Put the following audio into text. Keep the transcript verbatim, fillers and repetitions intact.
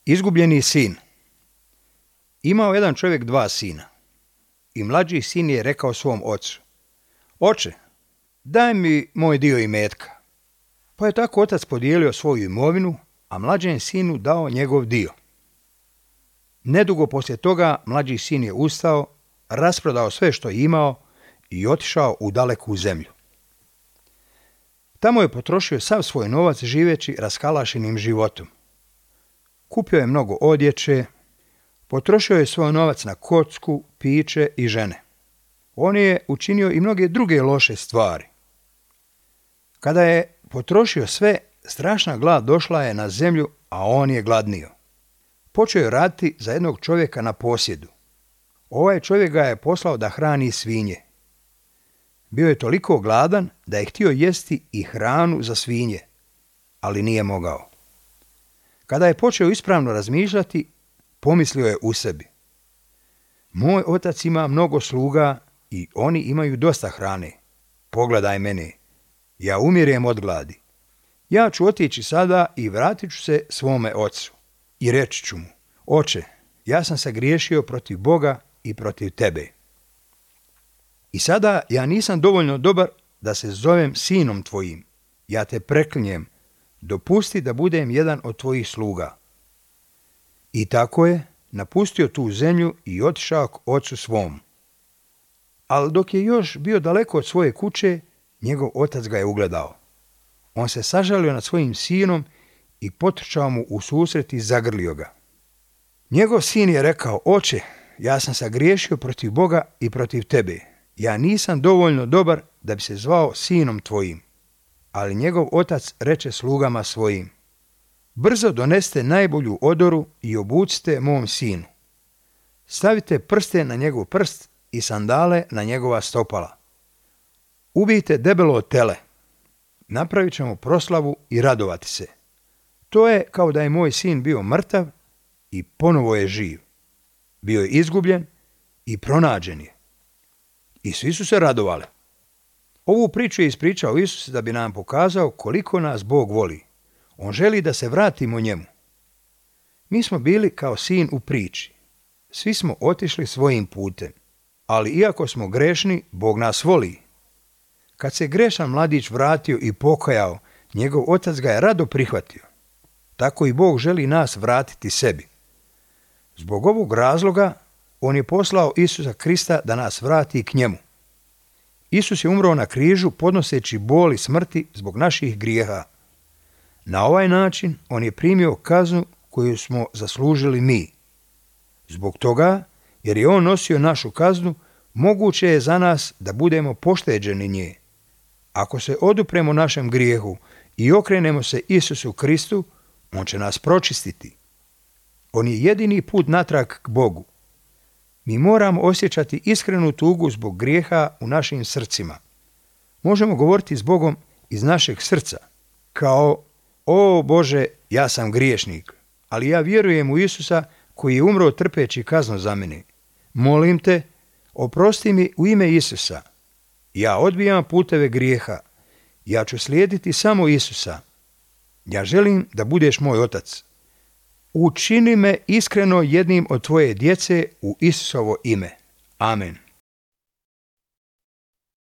Izgubljeni sin. Imao jedan čovjek dva sina. I mlađi sin je rekao svom ocu: Oče, daj mi moj dio imetka. Pa je tako otac podijelio svoju imovinu, a mlađem sinu dao njegov dio. Nedugo poslije toga mlađi sin je ustao, rasprodao sve što je imao i otišao u daleku zemlju. Tamo je potrošio sav svoj novac živeći raskalašenim životom. Kupio je mnogo odjeće, potrošio je svoj novac na kocku, piće i žene. On je učinio i mnoge druge loše stvari. Kada je potrošio sve, strašna glad došla je na zemlju, a on je gladnio. Počeo je raditi za jednog čovjeka na posjedu. Ovaj čovjek ga je poslao da hrani svinje. Bio je toliko gladan da je htio jesti i hranu za svinje, ali nije mogao. Kada je počeo ispravno razmišljati, pomislio je u sebi: Moj otac ima mnogo sluga i oni imaju dosta hrane. Pogledaj mene, ja umirem od gladi. Ja ću otići sada i vratit ću se svome ocu. I reći ću mu: Oče, ja sam se griješio protiv Boga i protiv tebe. I sada ja nisam dovoljno dobar da se zovem sinom tvojim. Ja te preklinjem, dopusti da budem jedan od tvojih sluga. I tako je napustio tu zemlju i otišao k ocu svom. Ali dok je još bio daleko od svoje kuće, njegov otac ga je ugledao. On se sažalio nad svojim sinom i potrčao mu u susret i zagrlio ga. Njegov sin je rekao: Oče, ja sam sagriješio protiv Boga i protiv tebe. Ja nisam dovoljno dobar da bi se zvao sinom tvojim. Ali njegov otac reče slugama svojim: Brzo doneste najbolju odoru i obucite mom sinu. Stavite prste na njegov prst i sandale na njegova stopala. Ubijte debelo tele. Napravit ćemo proslavu i radovati se. To je kao da je moj sin bio mrtav i ponovo je živ. Bio je izgubljen i pronađen je. I svi su se radovali. Ovu priču je ispričao Isus da bi nam pokazao koliko nas Bog voli. On želi da se vratimo njemu. Mi smo bili kao sin u priči. Svi smo otišli svojim putem. Ali iako smo grešni, Bog nas voli. Kad se grešan mladić vratio i pokajao, njegov otac ga je rado prihvatio. Tako i Bog želi nas vratiti sebi. Zbog ovog razloga on je poslao Isusa Krista da nas vrati k njemu. Isus je umro na križu podnoseći bol i smrti zbog naših grijeha. Na ovaj način on je primio kaznu koju smo zaslužili mi. Zbog toga, jer je on nosio našu kaznu, moguće je za nas da budemo pošteđeni nje. Ako se odupremo našem grijehu i okrenemo se Isusu Kristu, on će nas pročistiti. On je jedini put natrag k Bogu. Mi moramo osjećati iskrenu tugu zbog grijeha u našim srcima. Možemo govoriti s Bogom iz našeg srca, kao: O Bože, ja sam griješnik, ali ja vjerujem u Isusa koji je umro trpeći kaznu za mene. Molim te, oprosti mi u ime Isusa. Ja odbijam puteve grijeha. Ja ću slijediti samo Isusa. Ja želim da budeš moj otac. Učini me iskreno jednim od tvoje djece u Isusovo ime. Amen.